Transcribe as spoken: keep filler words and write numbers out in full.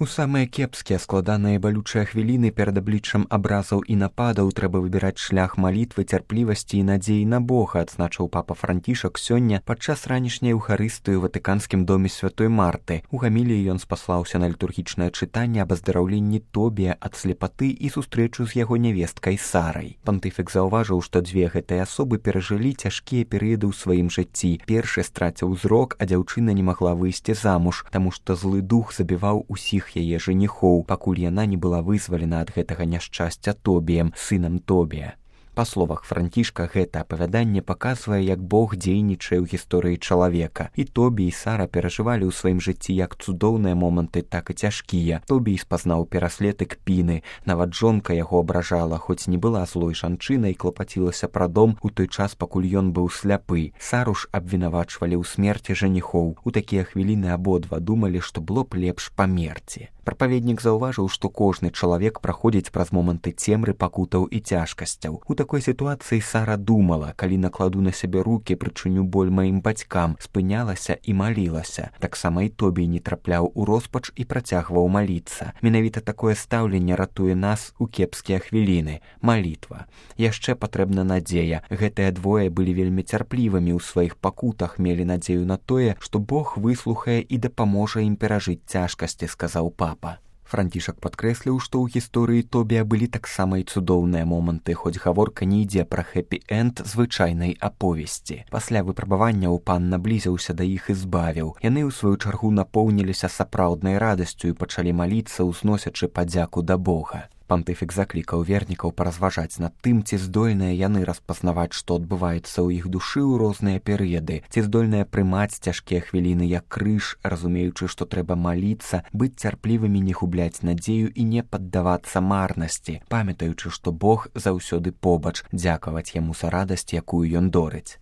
У самыя кепскія, складаныя і балючыя хвіліны перад абліччам абразаў і нападаў трэба выбіраць шлях малітвы, цярплівасці і надзеі на Бога, адзначыў папа Францішак сёння падчас ранішняй эўхарыстыі ў Ватыканскім доме святой Марты. У гаміліі ён спаслаўся на літургічнае чытанне аб аздараўленні Тобія ад слепаты і сустрэчу з яго нявесткай Сарай. Пантыфік заўважыў, што дзве гэтыя асобы перажылі цяжкія перыяды ў сваім жыцці. Першы страціў зрок, а дзяўчына не магла выйсці замуж, таму што злы дух забіваў усіх яе жаніхоў, пакуль яна не была вызвалена ад гэтага няшчасця Тобіем, сынам Тобія. Па словах Францішка, гэта апавяданне паказвае, як Бог дзейнічае ў гісторыі чалавека. І Тобій і Сара перажывалі ў сваім жыцці як цудоўныя моманты, так і цяжкія. Тобій спазнаў пераслед і кпіны. Нават жонка яго абражала, хоць не была злой жанчынай, клапацілася пра дом у той час, пакуль ён быў сляпы. Сару ж абвінавачвалі ў смерці жаніхоў. У такія хвіліны абодва думалі, што было б лепш памерці. Прапаведнік заўважыў, што кожны чалавек праходзіць праз моманты цемры, пакутаў і цяжкасцяў. У такой сітуацыі Сара думала, калі накладу на сябе рукі, прычыню боль маім бацькам, спынялася і малілася. Таксама і Тобій не трапляў у роспач і працягваў маліцца. Менавіта такое стаўленне ратуе нас у кепскія хвіліны. Малітва. Яшчэ патрэбна надзея. Гэтыя двое былі вельмі цярплівымі ў сваіх пакутах, мелі надзею на тое, што Бог выслухае і дапаможа ім перажыць цяжкасці, сказаў папа. Францішак падкрэсліў, што ў гісторыі Тобія былі таксама і цудоўныя моманты, хоць гаворка не ідзе пра хэпі-энд звычайнай аповесці. Пасля выпрабаванняў пан наблізіўся да іх і збавіў. Яны, у сваю чаргу, напоўніліся сапраўднай радасцю і пачалі маліцца, узносячы падзяку да Бога. Пантыфік заклікаў вернікаў паразважаць над тым, ці здольныя яны распазнаваць, што адбываецца ў іх душы ў розныя перыяды, ці здольныя прымаць цяжкія хвіліны як крыж, разумеючы, што трэба маліцца, быць цярплівымі, не губляць надзею і не паддавацца марнасці, памятаючы, што Бог заўсёды побач, дзякаваць яму за радасць, якую ён дорыць.